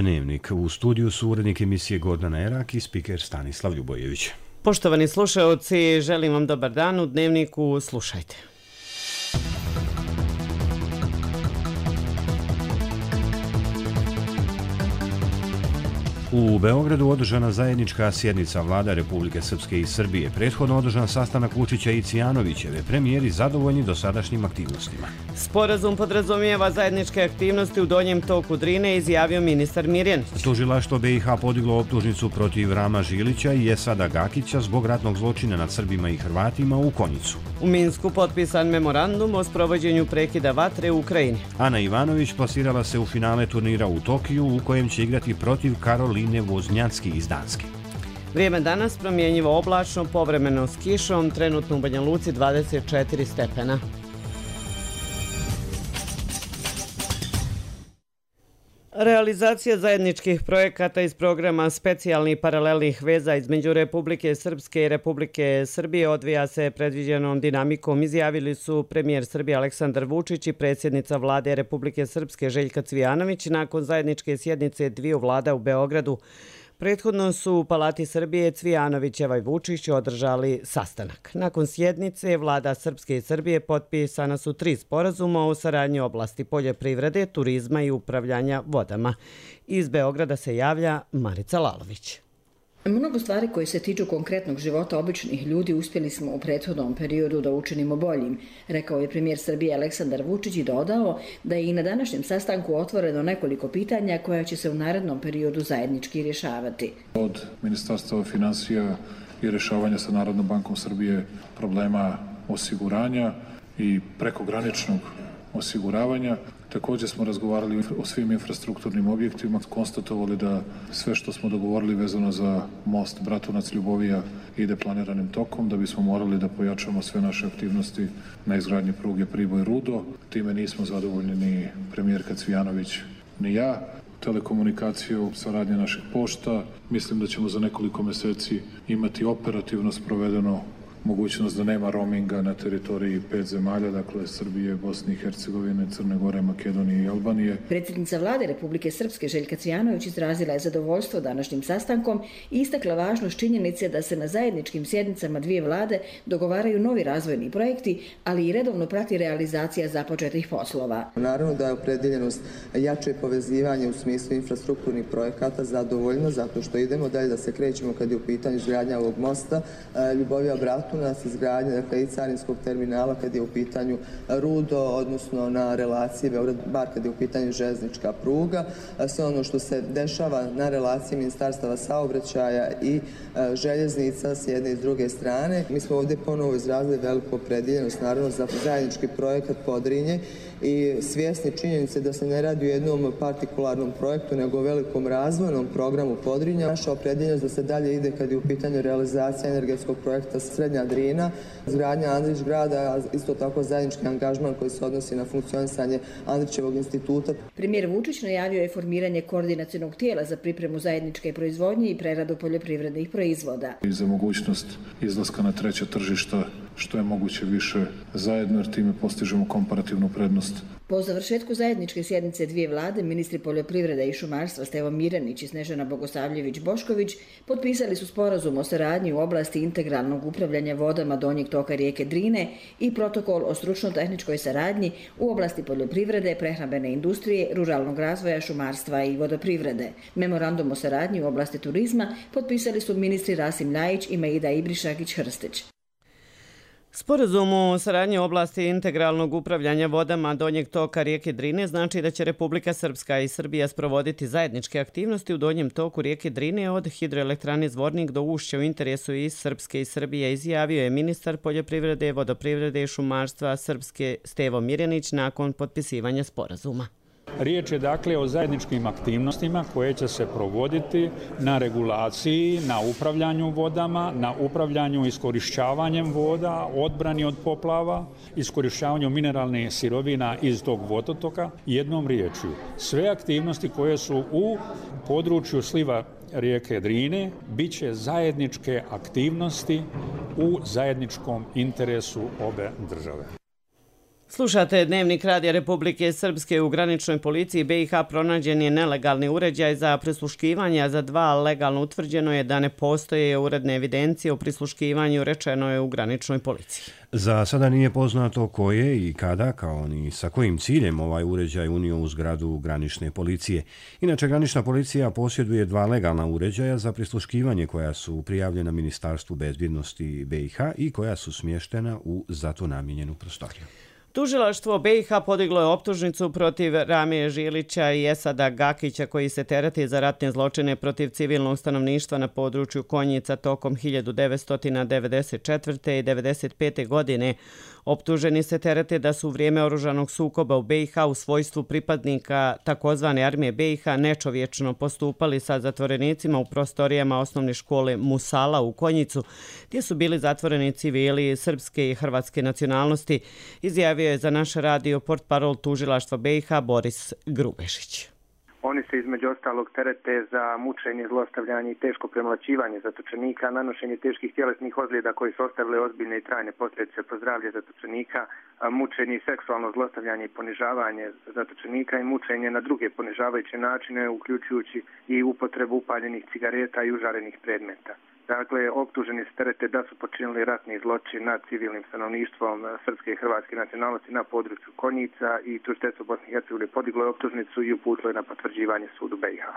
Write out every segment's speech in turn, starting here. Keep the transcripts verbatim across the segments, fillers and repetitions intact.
Dnevnik. U studiju su urednik emisije Gordana Erak i spiker Stanislav Ljubojević. Poštovani slušaoci, želim vam dobar dan. U Dnevniku slušajte. U Beogradu održana zajednička sjednica vlada Republike Srpske i Srbije. Prethodno održan sastanak Vučića i Cvijanovićeve, premijeri zadovoljni dosadašnjim aktivnostima. Sporazum podrazumijeva zajedničke aktivnosti u donjem toku Drine, izjavio ministar Mirjanić. Tužilaštvo B i H podiglo optužnicu protiv Rama Žilića i Esada Gakića zbog ratnog zločina nad Srbima i Hrvatima u Konjicu. U Minsku potpisan memorandum o sprovođenju prekida vatre u Ukrajini. Ana Ivanović plasirala se u finale turnira u Tokiju u kojem će igrati protiv Karoline Voznjacki iz Danske. Vrijeme danas promjenjivo oblačno, povremeno s kišom, trenutno u Banja Luci dvadeset četiri stepena. Realizacija zajedničkih projekata iz programa specijalnih paralelnih veza između Republike Srpske i Republike Srbije odvija se predviđenom dinamikom, izjavili su premijer Srbije Aleksandar Vučić i predsjednica vlade Republike Srpske Željka Cvijanović nakon zajedničke sjednice dviju vlada u Beogradu. Prethodno su u Palati Srbije Cvijanovićeva i Vučić održali sastanak. Nakon sjednice vlada Srpske i Srbije potpisana su tri sporazuma o saradnji u oblasti poljoprivrede, turizma i upravljanja vodama. Iz Beograda se javlja Marica Lalović. Mnogo stvari koje se tiču konkretnog života običnih ljudi uspjeli smo u prethodnom periodu da učinimo boljim, rekao je premijer Srbije Aleksandar Vučić i dodao da je i na današnjem sastanku otvoreno nekoliko pitanja koja će se u narednom periodu zajednički rješavati. Od Ministarstva finansija i rješavanja sa Narodnom bankom Srbije problema osiguranja i prekograničnog osiguravanja. Također smo razgovarali o svim infrastrukturnim objektima, konstatovali da sve što smo dogovorili vezano za most Bratunac-Ljubovija ide planiranim tokom, da bismo morali da pojačamo sve naše aktivnosti na izgradnji pruge Priboj-Rudo. Time nismo zadovoljni ni premijerka Cvijanović ni ja. Telekomunikaciju, saradnje naših pošta. Mislim da ćemo za nekoliko mjeseci imati operativno sprovedeno mogućnost da nema roaminga na teritoriji pet zemalja, dakle Srbije, Bosne i Hercegovine, Crne Gore, Makedonije i Albanije. Predsjednica vlade Republike Srpske Željka Cvijanović izrazila je zadovoljstvo današnjim sastankom i istakla važnost činjenice da se na zajedničkim sjednicama dvije vlade dogovaraju novi razvojni projekti, ali i redovno prati realizacija započetih poslova. Naravno da je opredeljenost jače povezivanje u smislu infrastrukturnih projekata zadovoljno, zato što idemo dalje da se krećemo kad je u pitanju izgradnja ovog mosta Ljubovija-Bratunac, nas izgradnje, dakle i carinskog terminala kad je u pitanju Rudo, odnosno na relaciji Beograd-Bar kad je u pitanju željeznička pruga. Sve ono što se dešava na relaciji ministarstava saobraćaja i željeznica s jedne i s druge strane. Mi smo ovdje ponovo izrazili veliku opredeljenost, naravno, za zajednički projekat Podrinje i svjesni činjenice da se ne radi o jednom partikularnom projektu, nego o velikom razvojnom programu Podrinja. Naša opredeljenost da se dalje ide kad je u pitanju realizacija energetskog projekta Srednja Drina, izgradnja Andrić grada, isto tako zajednički angažman koji se odnosi na funkcionisanje Andrićevog instituta. Premijer Vučić najavio je formiranje koordinacionog tijela za pripremu zajedničke proizvodnje i preradu poljoprivrednih proizvoda. I za mogućnost izlaska na treća tržišta što je moguće više zajedno, jer time postižemo komparativnu prednost. Po završetku zajedničke sjednice dvije vlade, ministri poljoprivrede i šumarstva Stevo Mirjanić i Snežana Bogosavljević-Bošković potpisali su sporazum o saradnji u oblasti integralnog upravljanja vodama donjeg toka rijeke Drine i protokol o stručno-tehničkoj saradnji u oblasti poljoprivrede, prehrambene industrije, ruralnog razvoja, šumarstva i vodoprivrede. Memorandum o saradnji u oblasti turizma potpisali su ministri Rasim Ljajić i Maida Ibrišagić-Hrstić. Sporazum o saradnji u oblasti integralnog upravljanja vodama donjeg toka rijeke Drine znači da će Republika Srpska i Srbija sprovoditi zajedničke aktivnosti u donjem toku rijeke Drine od hidroelektrane Zvornik do ušća u interesu i Srpske i Srbije, izjavio je ministar poljoprivrede, vodoprivrede i šumarstva Srpske Stevo Mirjanić nakon potpisivanja sporazuma. Riječ je dakle o zajedničkim aktivnostima koje će se provoditi na regulaciji, na upravljanju vodama, na upravljanju iskorišćavanjem voda, odbrani od poplava, iskorišćavanju mineralnih sirovina iz tog vodotoka. Jednom riječju, sve aktivnosti koje su u području sliva rijeke Drine bit će zajedničke aktivnosti u zajedničkom interesu obe države. Slušate Dnevnik Radija Republike Srpske. U graničnoj policiji B i H pronađen je nelegalni uređaj za prisluškivanje, a za dva legalno utvrđeno je da ne postoje uredne evidencije o prisluškivanju, rečeno je u graničnoj policiji. Za sada nije poznato ko je i kada, kao ni sa kojim ciljem ovaj uređaj unio u zgradu granične policije. Inače, granična policija posjeduje dva legalna uređaja za prisluškivanje koja su prijavljena Ministarstvu bezbjednosti B i H i koja su smještena u za to namijenjenu prostoriju. Tužilaštvo B i H podiglo je optužnicu protiv Ramije Žilića i Esada Gakića koji se tereti za ratne zločine protiv civilnog stanovništva na području Konjica tokom hiljadu devetsto devedeset četvrte. i devedeset pete. godine. Optuženi se terete da su u vrijeme oružanog sukoba u B i H u svojstvu pripadnika takozvane armije B i H nečovječno postupali sa zatvorenicima u prostorijama osnovne škole Musala u Konjicu, gdje su bili zatvoreni civili srpske i hrvatske nacionalnosti, izjavio je za naš radio portparol tužilaštva B i H Boris Grubešić. Oni se između ostalog terete za mučenje, zlostavljanje i teško premlaćivanje zatočenika, nanošenje teških tjelesnih ozljeda koji su ostavile ozbiljne i trajne posljedice po zdravlje zatočenika, mučenje i seksualno zlostavljanje i ponižavanje zatočenika i mučenje na druge ponižavajuće načine, uključujući i upotrebu upaljenih cigareta i užarenih predmeta. Dakle, optuženi se terete da su počinili ratni zločin nad civilnim stanovništvom srpske i hrvatske nacionalnosti na području Konjica i tužiteljstvo Bosne i Hercegovine podiglo je optužnicu i uputilo je na potvrđivanje sudu B i H.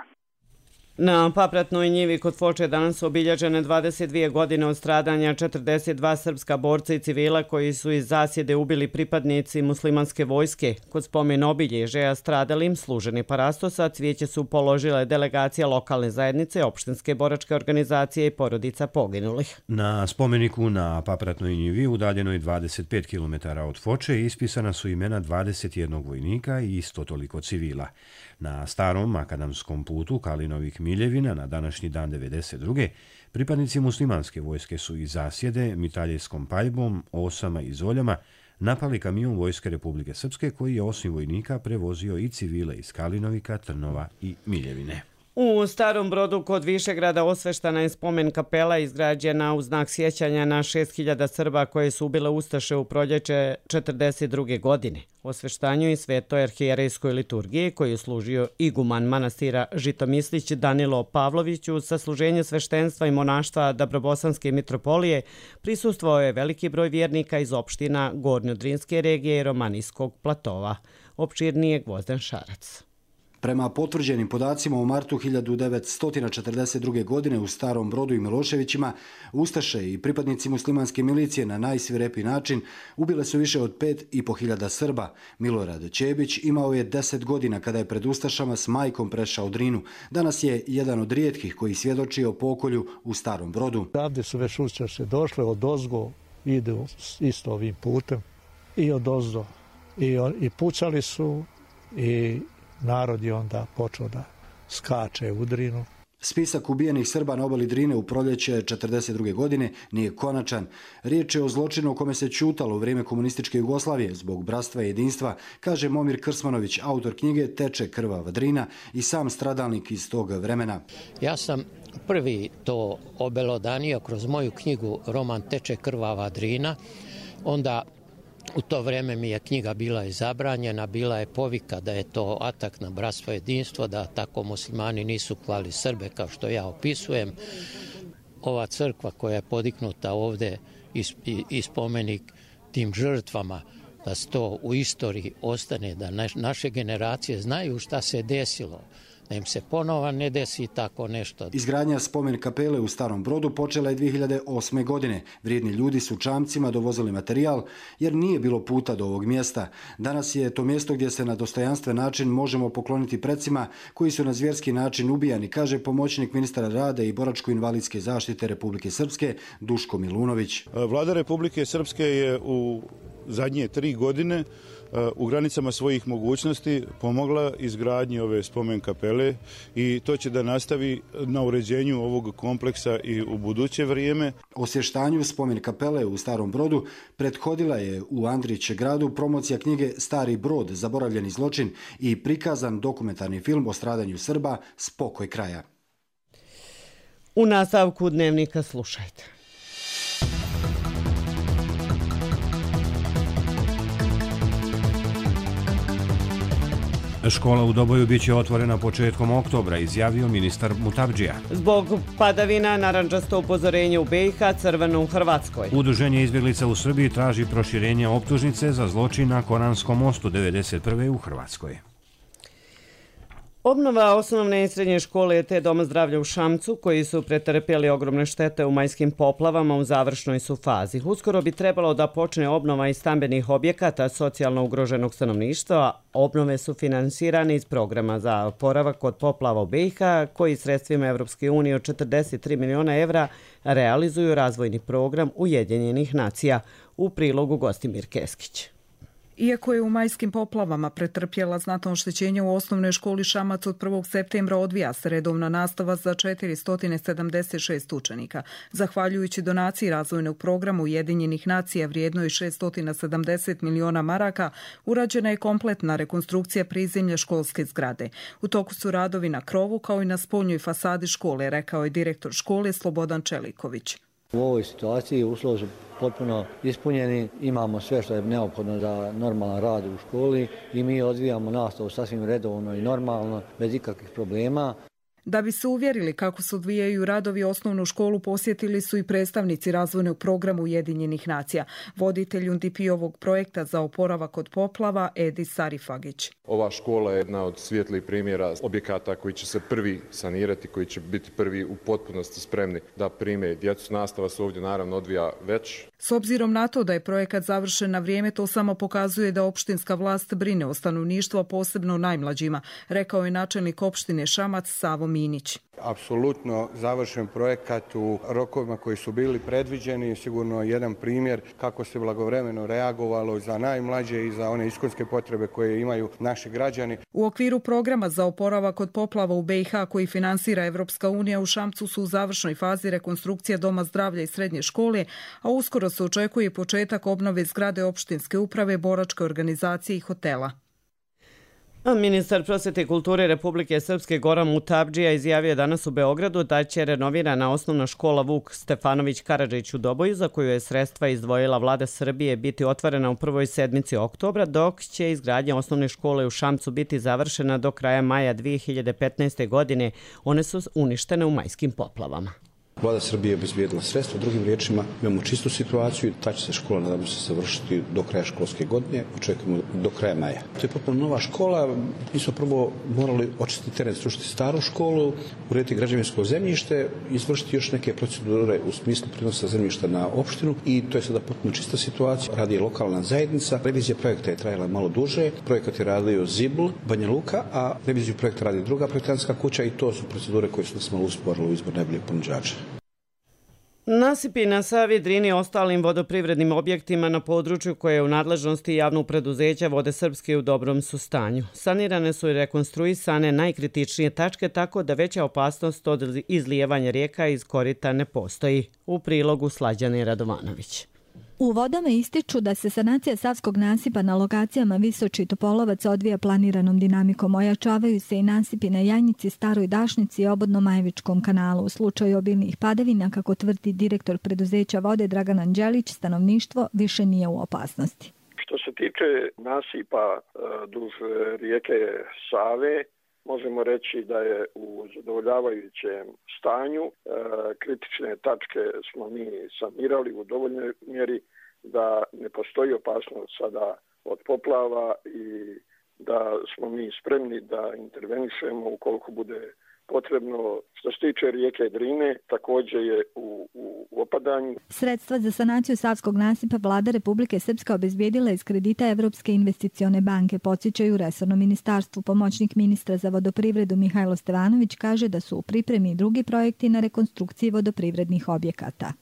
Na Papratnoj njivi kod Foče danas su obilježene dvadeset dvije godine od stradanja četrdeset dva srpska borca i civila koji su iz zasjede ubili pripadnici muslimanske vojske. Kod spomen obilježaja stradalim služeni parastosa cvijeće su položile delegacija lokalne zajednice, opštinske boračke organizacije i porodica poginulih. Na spomeniku na Papratnoj njivi udaljenoj dvadeset pet kilometara od Foče ispisana su imena dvadeset jednog vojnika i isto toliko civila. Na starom makadamskom putu Kalinovih Miljevina na današnji dan devedeset druge. pripadnici muslimanske vojske su iz zasjede mitraljevskom paljbom, osama i zoljama napali kamion Vojske Republike Srpske koji je osim vojnika prevozio i civile iz Kalinovika, Trnova i Miljevine. U Starom Brodu kod Višegrada osveštana je spomen kapela izgrađena u znak sjećanja na šest hiljada Srba koje su ubile ustaše u proljeće četrdeset druge. godine. Osveštanju i svetoj arhijerejskoj liturgiji koju je služio iguman manastira Žitomislić Danilo Pavloviću sa služenje sveštenstva i monaštva Dabrobosanske mitropolije prisustvovao je veliki broj vjernika iz opština Gornjodrinske regije i Romanijskog platova. Opširnije Gvozden Šarac. Prema potvrđenim podacima u martu hiljadu devetsto četrdeset druge. godine u Starom Brodu i Miloševićima, ustaše i pripadnici muslimanske milicije na najsvirepiji način ubile su više od pet i po hiljada Srba. Milorad Čebić imao je deset godina kada je pred ustašama s majkom prešao Drinu. Danas je jedan od rijetkih koji svjedoči o pokolju u Starom Brodu. Ovdje su već ustaše došle od ozgo, idu isto ovim putem i od ozdo. I, i pucali su i narod je onda počeo da skače u Drinu. Spisak ubijenih Srba na obali Drine u proljeće četrdeset druge. godine nije konačan. Riječ je o zločinu o kome se ćutalo u vrijeme komunističke Jugoslavije zbog bratstva i jedinstva, kaže Momir Krsmanović, autor knjige Teče krvava Drina i sam stradalnik iz tog vremena. Ja sam prvi to obelodanio kroz moju knjigu roman Teče krvava Drina. Onda u to vrijeme mi je knjiga bila i zabranjena, bila je povika da je to atak na bratstvo i jedinstvo, da tako muslimani nisu klali Srbe kao što ja opisujem. Ova crkva koja je podignuta ovdje i spomenik tim žrtvama, da to u istoriji ostane, da naše generacije znaju šta se desilo, da im se ponovo ne desi tako nešto. Izgradnja spomen kapele u Starom Brodu počela je dvije hiljade osme. godine. Vrijedni ljudi su čamcima dovozili materijal jer nije bilo puta do ovog mjesta. Danas je to mjesto gdje se na dostojanstven način možemo pokloniti precima koji su na zvjerski način ubijani, kaže pomoćnik ministra rada i boračko-invalidske zaštite Republike Srpske Duško Milunović. Vlada Republike Srpske je u zadnje tri godine u granicama svojih mogućnosti pomogla izgradnji ove spomen kapele i to će da nastavi na uređenju ovog kompleksa i u buduće vrijeme. Osvještanju spomen kapele u Starom Brodu prethodila je u Andrić gradu promocija knjige Stari Brod, zaboravljeni zločin i prikazan dokumentarni film o stradanju Srba Spokoj kraja. U nastavku Dnevnika slušajte. Škola u Doboju biće otvorena početkom oktobra, izjavio ministar Mutabdžija. Zbog padavina narandžasto upozorenje u B i H, crveno u Hrvatskoj. Udruženje izbjeglica u Srbiji traži proširenje optužnice za zločin na Koranskom mostu devedeset prve u Hrvatskoj. Obnova osnovne i srednje škole te Doma zdravlja u Šamcu, koji su pretrpjeli ogromne štete u majskim poplavama, u završnoj su fazi. Uskoro bi trebalo da počne obnova i stambenih objekata socijalno ugroženog stanovništva. Obnove su finansirane iz programa za oporavak od poplava u B i H, koji sredstvima Evropske unije od četrdeset tri miliona evra realizuju razvojni program Ujedinjenih nacija. U prilogu Gostimir Keskić. Iako je u majskim poplavama pretrpjela znatno oštećenje u osnovnoj školi Šamac, od prvog septembra odvija se redovna nastava za četiristo sedamdeset šest učenika. Zahvaljujući donaciji razvojnog programa Ujedinjenih nacija vrijednoj šeststo sedamdeset miliona maraka, urađena je kompletna rekonstrukcija prizemlja školske zgrade. U toku su radovi na krovu kao i na spoljnoj fasadi škole, rekao je direktor škole Slobodan Čeliković. U ovoj situaciji uslovi su potpuno ispunjeni, imamo sve što je neophodno za normalan rad u školi i mi odvijamo nastavu sasvim redovno i normalno, bez ikakvih problema. Da bi se uvjerili kako se odvijaju radovi, osnovnu školu posjetili su i predstavnici razvojnog programa Ujedinjenih nacija. Voditelj U N D P-ovog projekta za oporavak od poplava Edi Sarifagić. Ova škola je jedna od svijetlih primjera objekata koji će se prvi sanirati, koji će biti prvi u potpunosti spremni da prime djecu. Nastava se ovdje naravno odvija već. S obzirom na to da je projekat završen na vrijeme, to samo pokazuje da opštinska vlast brine o stanovništvu, a posebno najmlađima, rekao je načelnik opštine Šamac Savo Minić. Apsolutno završen projekat u rokovima koji su bili predviđeni, sigurno jedan primjer kako se blagovremeno reagovalo za najmlađe i za one iskonske potrebe koje imaju naši građani. U okviru programa za oporavak od poplava u B i H koji finansira Evropska unija, u Šamcu su u završnoj fazi rekonstrukcija Doma zdravlja i srednje škole, a uskoro se očekuje početak obnove zgrade opštinske uprave, boračke organizacije i hotela. Ministar prosvete i kulture Republike Srpske Goran Mutabdžija izjavio danas u Beogradu da će renovirana osnovna škola Vuk Stefanović Karadžić u Doboju, za koju je sredstva izdvojila vlada Srbije, biti otvorena u prvoj sedmici oktobra, dok će izgradnja osnovne škole u Šamcu biti završena do kraja maja dvije hiljade petnaeste. godine. One su uništene u majskim poplavama. Vlada Srbije je obezbijedila sredstva, drugim riječima imamo čistu situaciju, ta će se škola nadamo se završiti do kraja školske godine, očekujemo do kraja maja. To je potpuno nova škola, mi smo prvo morali očistiti teren, srušiti staru školu, urediti građevinsko zemljište, izvršiti još neke procedure u smislu prenosa zemljišta na opštinu i to je sada potpuno čista situacija. Radi je lokalna zajednica, revizija projekta je trajala malo duže, projekat je radio Zibl, Banja Luka, a reviziju projekta radi druga projektantska kuća i to su procedure koje su nas malo usporile u izbor najboljeg ponuđača. Nasipi na Savi, Drini i ostalim vodoprivrednim objektima na području koje je u nadležnosti javnog preduzeća Vode Srpske u dobrom su stanju. Sanirane su i rekonstruisane najkritičnije tačke, tako da veća opasnost od izlijevanja rijeka iz korita ne postoji. U prilogu Slađane Radovanović. U vodama ističu da se sanacija savskog nasipa na lokacijama Visoči i Topolovac odvija planiranom dinamikom. Ojačavaju se i nasipi na Janjici, Staroj Dašnici i obodno Majevičkom kanalu. U slučaju obilnih padavina, kako tvrdi direktor preduzeća Vode Dragan Anđelić, stanovništvo više nije u opasnosti. Što se tiče nasipa duž rijeke Save, možemo reći da je u zadovoljavajućem stanju. E, kritične tačke smo mi sanirali u dovoljnoj mjeri da ne postoji opasnost sada od poplava i da smo mi spremni da intervenišemo ukoliko bude potrebno. Što se tiče rijeke Drine, također je u, u, u opadanju. Sredstva za sanaciju savskog nasipa vlada Republike Srpska obezbijedila iz kredita Evropske investicione banke, podsjećaju resorno ministarstvu. Pomoćnik ministra za vodoprivredu Mihajlo Stevanović kaže da su u pripremi drugi projekti na rekonstrukciji vodoprivrednih objekata.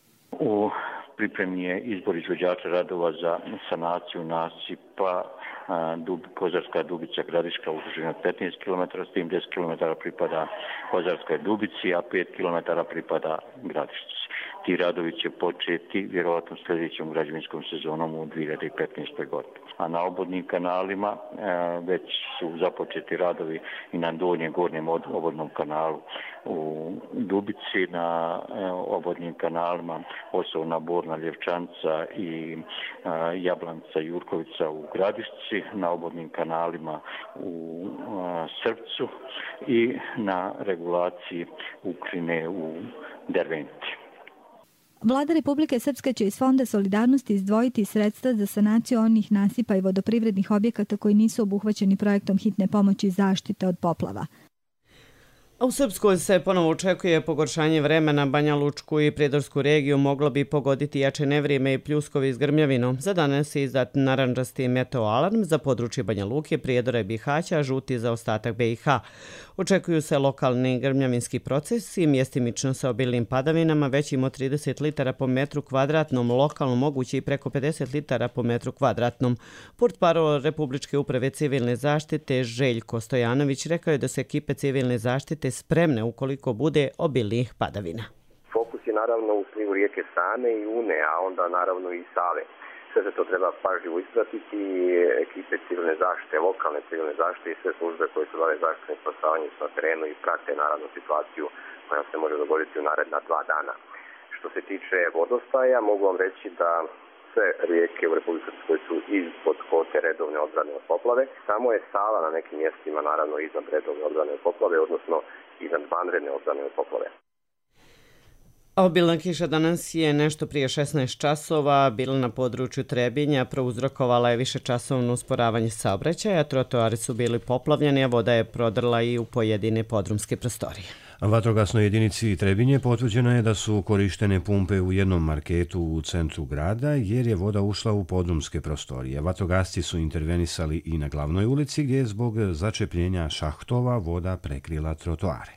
U pripremi je izbor izvođača radova za sanaciju nasipa Dub, Kozarska Dubica Gradiška u dužini od petnaest kilometara, s tim deset kilometara pripada Kozarskoj Dubici, a pet kilometara pripada Gradišci. Ti radovi će početi vjerovatno sljedećom građevinskom sezonom u dvije hiljade petnaestoj. godini. a na obodnim kanalima već su započeti radovi i na donjem gornjem obodnom kanalu u Dubici, na obodnim kanalima Osovna, Borna, Ljevčanca i Jablanca, Jurkovica u Gradišci, na obodnim kanalima u Srpcu i na regulaciji Ukrine u Derventi. Vlada Republike Srpske će iz Fonda solidarnosti izdvojiti sredstva za sanaciju onih nasipa i vodoprivrednih objekata koji nisu obuhvaćeni projektom hitne pomoći i zaštite od poplava. A u Srpskoj se ponovo očekuje pogoršanje vremena. Banja Lučku i Prijedorsku regiju moglo bi pogoditi jače nevrijeme i pljuskovi s grmljavinom. Za danas je izdat narandžasti meteo alarm za područje Banja Luke, Prijedora i Bihaća, a žuti za ostatak B i H. Očekuju se lokalni grmljavinski procesi, mjestimično sa obilnim padavinama, većim od trideset litara po metru kvadratnom, lokalno moguće i preko pedeset litara po metru kvadratnom. Portparol Republičke uprave civilne zaštite Željko Stojanović rekao je da se ekipe civilne zaštite spremne ukoliko bude obilnih padavina. Fokus je naravno u slivu rijeke Sane i Une, a onda naravno i Save. Sve se to treba pažljivo ispratiti. Ekipe civilne zaštite, lokalne civilne zaštite i sve službe koje se bave zaštitom i spasavanjem su na terenu i prate naravno situaciju koja se može dogoditi u naredna dva dana. Što se tiče vodostaja, mogu vam reći da sve rijeke u Republici Srpskoj su ispod kote redovne odbrane od poplave. Samo je Sava na nekim mjestima naravno iznad redovne odbrane od poplave, odnosno iznad vanredne odbrane od poplave. Obilna kiša danas je nešto prije šesnaest časova bila na području Trebinja, prouzrokovala je višečasovno usporavanje saobraćaja, trotoari su bili poplavljeni, a voda je prodrla i u pojedine podrumske prostorije. Vatrogasnoj jedinici Trebinje potvrđeno je da su korištene pumpe u jednom marketu u centru grada jer je voda ušla u podrumske prostorije. Vatrogasci su intervenisali i na glavnoj ulici gdje je zbog začepljenja šahtova voda prekrila trotoare.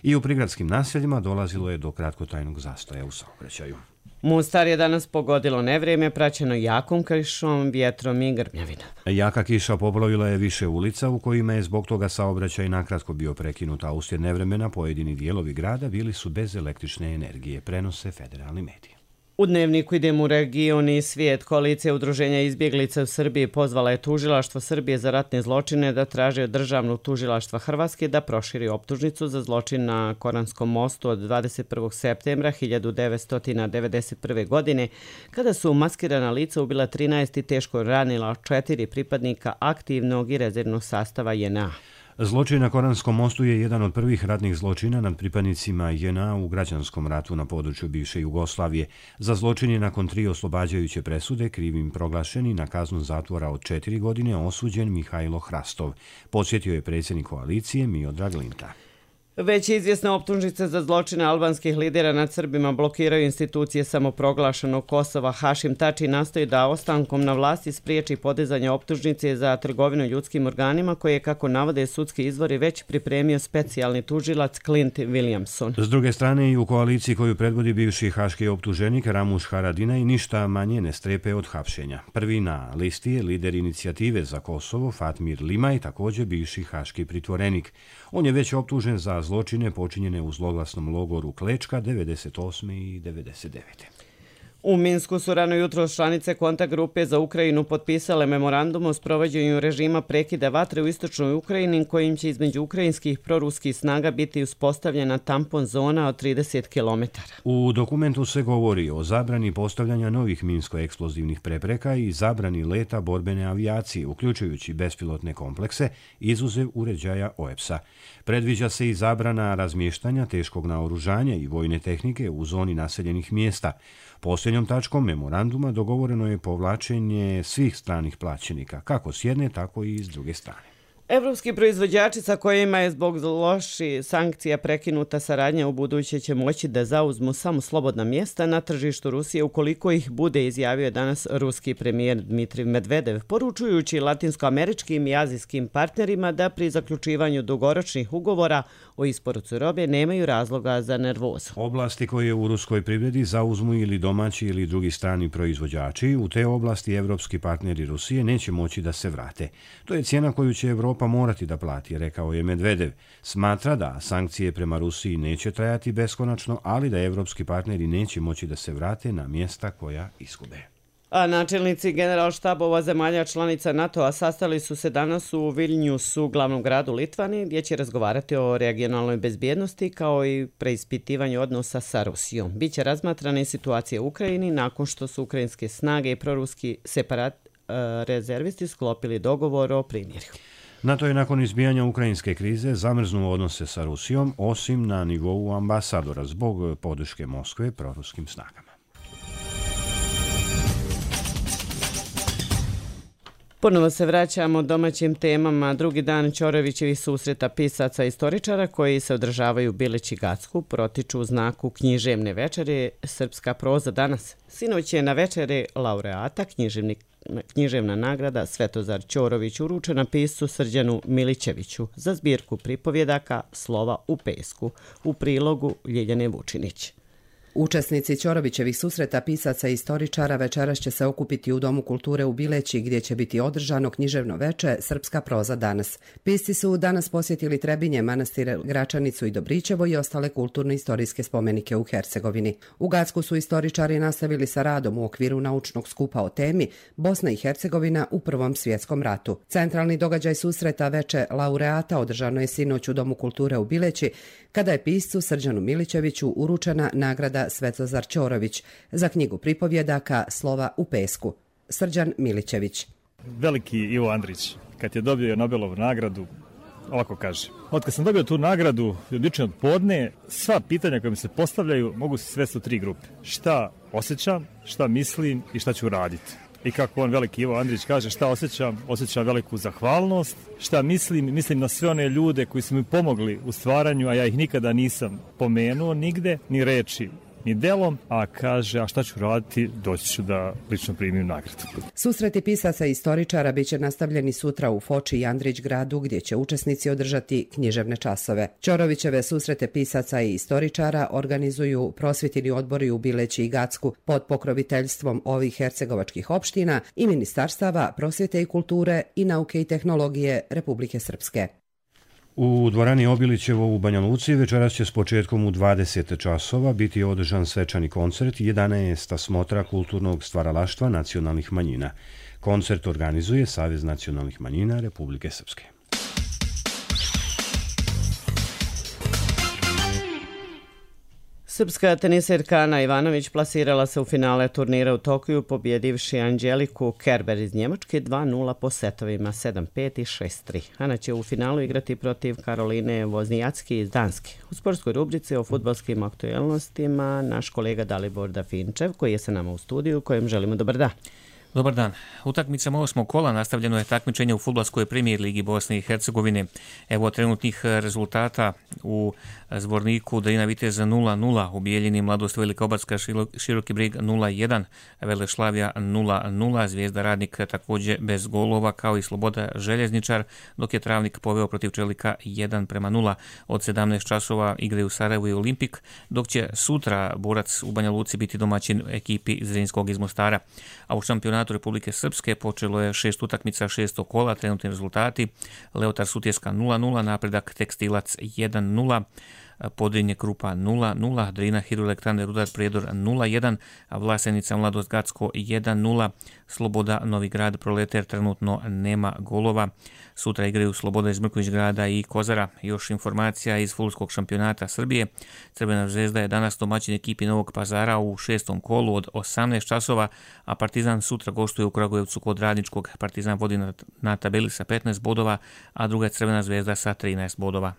I u prigradskim naseljima dolazilo je do kratkotrajnog zastoja u saobraćaju. Mostar je danas pogodilo nevrijeme praćeno jakom kišom, vjetrom i grmljavinom. Jaka kiša poplavila je više ulica u kojima je zbog toga saobraćaj nakratko bio prekinut, a uslijed nevremena pojedini dijelovi grada bili su bez električne energije, prenose federalni mediji. U Dnevniku idemo u region i svijet. Koalicija udruženja izbjeglica u Srbiji pozvala je tužilaštvo Srbije za ratne zločine da traži od državnog tužilaštva Hrvatske da proširi optužnicu za zločin na Koranskom mostu od dvadeset prvog septembra hiljadu devetsto devedeset prve. godine, kada su maskirana lica ubila trinaest i teško ranila četiri pripadnika aktivnog i rezervnog sastava J N A. Zločin na Koranskom mostu je jedan od prvih ratnih zločina nad pripadnicima J N A u građanskom ratu na području bivše Jugoslavije. Za zločin je nakon tri oslobađajuće presude krivim proglašeni na kaznu zatvora od četiri godine osuđen Mihajlo Hrastov, podsjetio je predsjednik koalicije Miodrag Linta. Već izvjesne optužnice za zločine albanskih lidera nad Srbima blokiraju institucije samoproglašenog Kosova. Hašim Tači nastoji da ostankom na vlasti spriječi podizanje optužnice za trgovinu ljudskim organima koje je, kako navode sudski izvori, već pripremio specijalni tužilac Clint Williamson. S druge strane, i u koaliciji koju predvodi bivši haški optuženik Ramuš Haradinaj ništa manje ne strepe od hapšenja. Prvi na listi je lider inicijative za Kosovo Fatmir Limaj, također bivši haški pritvorenik. On je već optužen za zločine počinjene u zloglasnom logoru Klečka devedeset osme i devedeset devete. U Minsku su rano jutro članice kontakt grupe za Ukrajinu potpisale memorandum o sprovođenju režima prekida vatre u istočnoj Ukrajini kojim će između ukrajinskih proruskih snaga biti uspostavljena tampon zona od trideset kilometara. U dokumentu se govori o zabrani postavljanja novih minsko-eksplozivnih prepreka i zabrani leta borbene avijacije, uključujući bespilotne komplekse, izuzev uređaja O E P S-a. Predviđa se i zabrana razmještanja teškog naoružanja i vojne tehnike u zoni naseljenih mjesta. Posljednjom tačkom memoranduma dogovoreno je povlačenje svih stranih plaćenika, kako s jedne, tako i s druge strane. Evropski proizvođači sa kojima je zbog loših sankcija prekinuta saradnja u buduće će moći da zauzmu samo slobodna mjesta na tržištu Rusije ukoliko ih bude, izjavio danas ruski premijer Dmitrij Medvedev, poručujući latinskoameričkim i azijskim partnerima da pri zaključivanju dugoročnih ugovora o isporuci robe nemaju razloga za nervozu. Oblasti koje u ruskoj privredi zauzmu ili domaći ili drugi strani proizvođači, u te oblasti evropski partneri Rusije neće moći da se vrate. To je cijena koju će Evropa morati da plati, rekao je Medvedev. Smatra da sankcije prema Rusiji neće trajati beskonačno, ali da evropski partneri neće moći da se vrate na mjesta koja izgube. A načelnici generalštabova zemalja članica NATO-a sastali su se danas u Vilniusu, glavnom gradu Litvanije, gdje će razgovarati o regionalnoj bezbjednosti kao i preispitivanju odnosa sa Rusijom. Biće razmatrana i situacija u Ukrajini nakon što su ukrajinske snage i proruski separat rezervisti sklopili dogovor o primirju. NATO je nakon izbijanja ukrajinske krize zamrznuo odnose sa Rusijom, osim na nivou ambasadora zbog podrške Moskve proruskim snagama. Ponovo se vraćamo domaćim temama. Drugi dan Ćorovićevih susreta pisaca i istoričara koji se održavaju u Bileći Gacku protiču u znaku književne večere Srpska proza danas. Sinoć je na večeri laureata književnik književna nagrada Svetozar Ćorović uručena piscu Srđanu Milićeviću za zbirku pripovjedaka Slova u pesku u prilogu Ljiljane Vučinić. Učesnici Ćorovićevih susreta pisaca i istoričara večeras će se okupiti u Domu kulture u Bileći gdje će biti održano književno veče Srpska proza danas. Pisci su danas posjetili Trebinje, manastir Gračanicu i Dobrićevo i ostale kulturno-istorijske spomenike u Hercegovini. U Gacku su istoričari nastavili sa radom u okviru naučnog skupa o temi Bosna i Hercegovina u Prvom svjetskom ratu. Centralni događaj susreta veče laureata održano je sinoć u Domu kulture u Bileći kada je piscu Srđanu Milićeviću uručena nagrada Svetozar Ćorović za knjigu pripovjedaka Slova u pesku. Srđan Milićević. Veliki Ivo Andrić, kad je dobio Nobelovu nagradu, ovako kaže: od kad sam dobio tu nagradu, odlično od podne, sva pitanja koja mi se postavljaju mogu se svesti u tri grupe. Šta osjećam, šta mislim i šta ću raditi. I kako on, veliki Ivo Andrić, kaže: šta osjećam? Osjećam veliku zahvalnost. Šta mislim? Mislim na sve one ljude koji su mi pomogli u stvaranju, a ja ih nikada nisam pomenuo nigde, ni reči, ni delom, a kaže: a šta ću raditi? Doći ću da lično primim nagradu. Susreti pisaca i istoričara bit će nastavljeni sutra u Foči i Andrić gradu, gdje će učesnici održati književne časove. Ćorovićeve susrete pisaca i istoričara organizuju prosvjetni odbori u Bileći i Gacku pod pokroviteljstvom ovih hercegovačkih opština i ministarstava prosvjete i kulture i nauke i tehnologije Republike Srpske. U dvorani Obilićevo u Banja Luci večeras će s početkom u dvadeset časova biti održan svečani koncert jedanaesta smotra kulturnog stvaralaštva nacionalnih manjina. Koncert organizuje Savez nacionalnih manjina Republike Srpske. Srpska teniserka Ana Ivanović plasirala se u finale turnira u Tokiju pobjedivši Anđeliku Kerber iz Njemačke dva nula po setovima sedam pet i šest tri. Ana će u finalu igrati protiv Karoline Voznijacki iz Danske. U sportskoj rubrici o fudbalskim aktuelnostima naš kolega Dalibor Dafinčev koji je sa nama u studiju, kojem želimo dobar dan. Dobar dan. Utakmicama osmog kola nastavljeno je takmičenje u fudbalskoj premijer ligi Bosne i Hercegovine. Evo trenutnih rezultata u Zvorniku: Drina Vitez nula nula, u Bijeljini Mladost Velika Obadska Široki Brig nula jedan, Velešlavija nula nula, Zvijezda Radnik također bez golova kao i Sloboda Željezničar, dok je Travnik poveo protiv Čelika jedan prema nula. Od sedamnaest časova igraju Sarajevo i Olimpik, dok će sutra Borac u Banja Luci biti domaćin ekipi Zrinskog iz Mostara. A u šampionatu Republike Srpske počelo je šest utakmica šestog kola, trenutni rezultati: Leotar Sutjeska nula nula, Napredak Tekstilac jedan nula, Podrinje Krupa nula nula, Drina Hidroelektrane Rudar Prijedor nula jedan, Vlasenica Mladost Gacko jedan nula, Sloboda Novi Grad Proleter trenutno nema golova. Sutra igraju Sloboda iz Mrković grada i Kozara. Još informacija iz fudbalskog šampionata Srbije: Crvena zvezda je danas domaćin ekipi Novog Pazara u šestom kolu od osamnaest časova, a Partizan sutra gostuje u Kragujevcu kod Radničkog. Partizan vodi na, na tabeli sa petnaest bodova, a druga je Crvena zvezda sa trinaest bodova.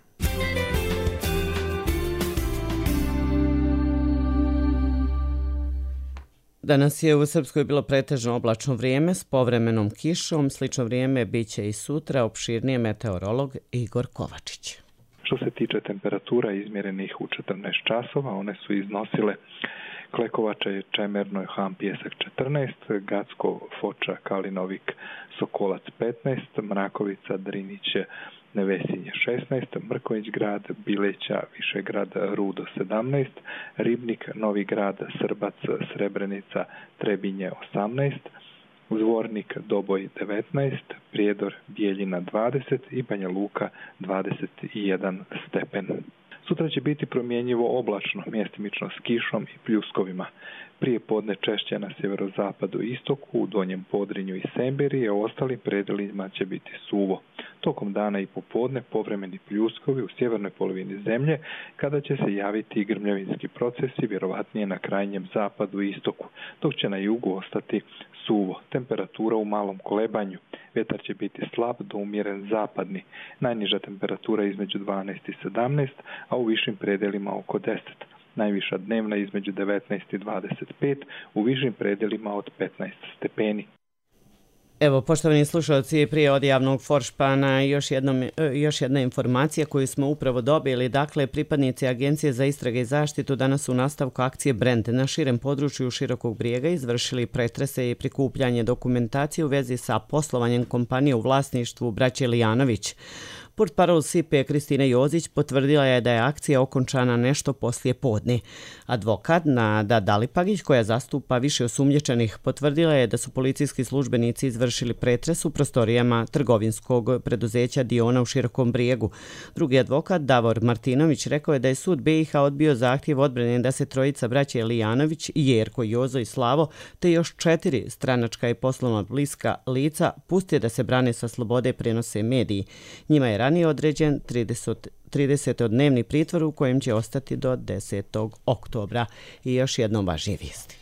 Danas je u Srpskoj bilo pretežno oblačno vrijeme s povremenom kišom. Slično vrijeme bit će i sutra, opširnije meteorolog Igor Kovačić. Što se tiče temperatura izmjerenih u četrnaest časova, one su iznosile Klekovača je Čemerno, Han Pjesak četrnaest, Gacko, Foča, Kalinovik, Sokolac petnaest, Mrakovica, Driniće, Nevesinje šesnaest, Mrković grad, Bileća, Višegrad, Rudo sedamnaest, Ribnik, Novi grad, Srbac, Srebrenica, Trebinje osamnaest, Zvornik, Doboj devetnaest, Prijedor, Bijeljina dvadeset i Banja Luka dvadeset jedan stepen. Sutra će biti promjenjivo oblačno, mjestimično s kišom i pljuskovima. Prije podne češće na sjeverozapadu i istoku, u Donjem Podrinju i Semberiji, a u ostalim predelima će biti suvo. Tokom dana i popodne povremeni pljuskovi u sjevernoj polovini zemlje, kada će se javiti i grmljavinski procesi, vjerovatnije na krajnjem zapadu i istoku, dok će na jugu ostati suvo. Temperatura u malom kolebanju. Vjetar će biti slab do umjeren zapadni. Najniža temperatura između dvanaest i sedamnaest, a u višim predelima oko deset. Najviša dnevna između devetnaest i dvadeset pet, u višim predelima od petnaest stepeni. Evo, poštovani slušalci, prije od javnog foršpana još, jednom, još jedna informacija koju smo upravo dobili. Dakle, pripadnici Agencije za istrage i zaštitu danas u nastavku akcije Brend na širem području Širokog Brijega izvršili pretrese i prikupljanje dokumentacije u vezi sa poslovanjem kompanije u vlasništvu braće Lijanović. Portparol S I P P Kristina Jozić potvrdila je da je akcija okončana nešto poslije podne. Advokat Nada Dalipagić, koja zastupa više osumnjičenih, potvrdila je da su policijski službenici izvršili pretres u prostorijama trgovinskog preduzeća Diona u Širokom Brijegu. Drugi advokat Davor Martinović rekao je da je sud B i H odbio zahtjev odbrane da se trojica braće Lijanović, Jerko, Jozo i Slavo, te još četiri stranačka i poslovno bliska lica puste da se brane sa slobode, prenose mediji. Njima je ranije određen tridesetodnevni pritvor u kojem će ostati do desetog oktobra. I još jednom važnije vijesti.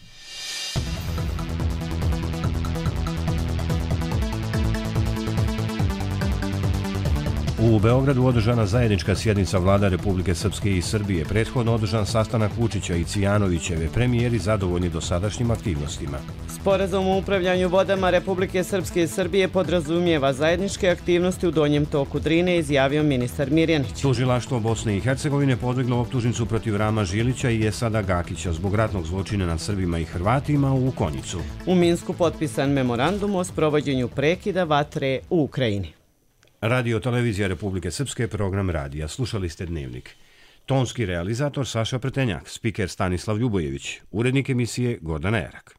U Beogradu održana zajednička sjednica vlada Republike Srpske i Srbije. Prethodno održan sastanak Vučića i Cijanovićeve, premijeri zadovoljni dosadašnjim aktivnostima. Sporazum o upravljanju vodama Republike Srpske i Srbije podrazumijeva zajedničke aktivnosti u donjem toku Drine, izjavio ministar Mirjanić. Tužilaštvo Bosne i Hercegovine podiglo optužnicu protiv Rama Žilića i Esada Gakića zbog ratnog zločina nad Srbima i Hrvatima u Konjicu. U Minsku potpisan memorandum o sprovođenju prekida vatre u Ukrajini. Radio Televizija Republike Srpske, program radija. Slušali ste Dnevnik. Tonski realizator Saša Pretenjak, spiker Stanislav Ljubojević, urednik emisije Gordana Erak.